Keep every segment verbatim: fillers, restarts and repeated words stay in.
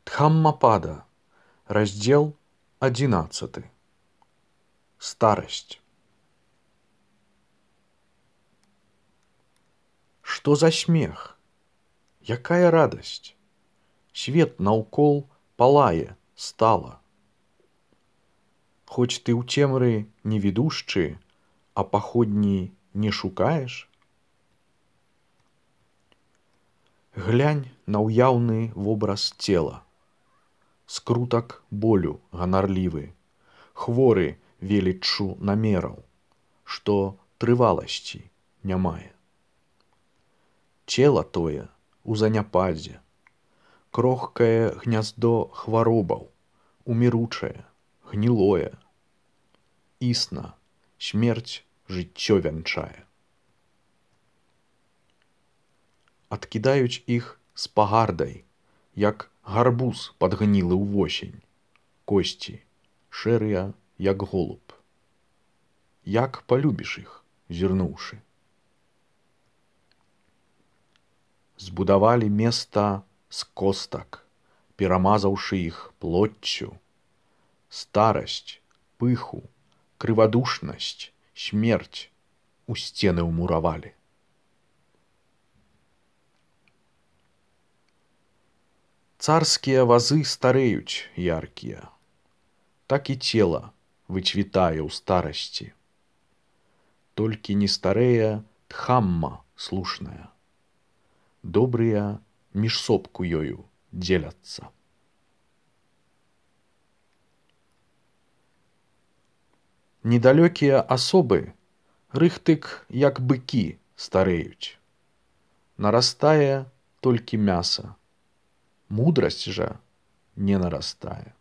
Дхаммапада, раздел одиннадцатый. Старость. Что за смех? Якая радость? Свет наўкол палае стала. Хоць ты ў цемры невідушчы, а паходні не шукаеш? Глянь на ўяўны вобраз цела. Скрутак болю ганарлівы, хворы веліччу намераў, што трываласці не мае. Цела тое у заняпадзе, крохкае гняздо хваробаў, уміручае, гнілое. Існа смерць жыццё вянчае. Адкідаюць іх з пагардай, як гарбуз падгнілы ўвосень, косці шэрыя, як голуб. Як палюбіш іх, зірнуўшы? Збудавалі места з костак, перамазаўшы іх плоццю. Старасць, пыху, крывадушнасць, смерць у сцены ўмуравалі. Царскія вазы стареюць яркія, так і цела выцвітае ў старасці. Толькі не старэе Дхамма слушная. Добрыя між сопку ёю дзеляцца. Недалёкія асобы рыхтык, як быкі, стареюць. Нарастае толькі мяса. Мудрасць жа не нарастае.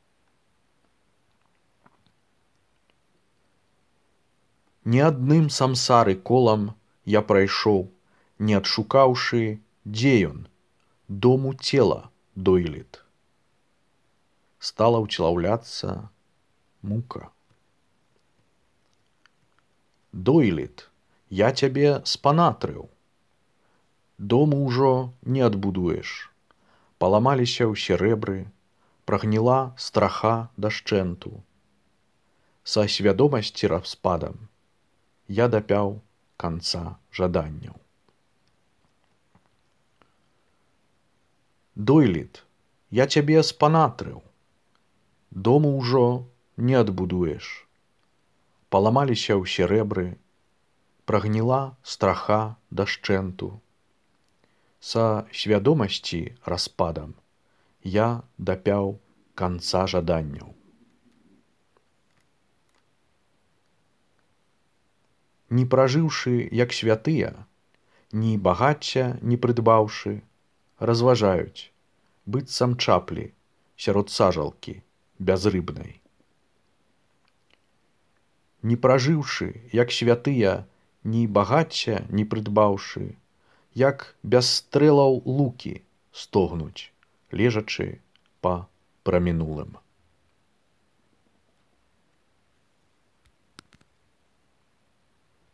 Ні адным самсары колам я прайшоў, не адшукаўшы, дзе ён, дому цела дойлід. Стала ўцлаўляцца мука. Дойлід, я цябе спанатрыў. Дому ўжо не адбудуеш. Паламаліся ўсе рэбры, прагніла страха дашчэнту. Са свядомасці распадам я дапяў канца жаданняў. Дойлід, я цябе спанатрыў. Дому ўжо не адбудуеш. Паламаліся ўсе рэбры, прагніла страха дашчэнту. Са свядомасці распадам я дапяў канца жаданняў. Не пражыўшы, як святыя, ні багацця не прыдбаўшы, разважаюць, быццам чаплі сярод сажалкі бязрыбнай. Не пражыўшы, як святыя, ні багацця не прыдбаўшы, як без стрэлаў лукі стогнуць, лежачы па прамінулым.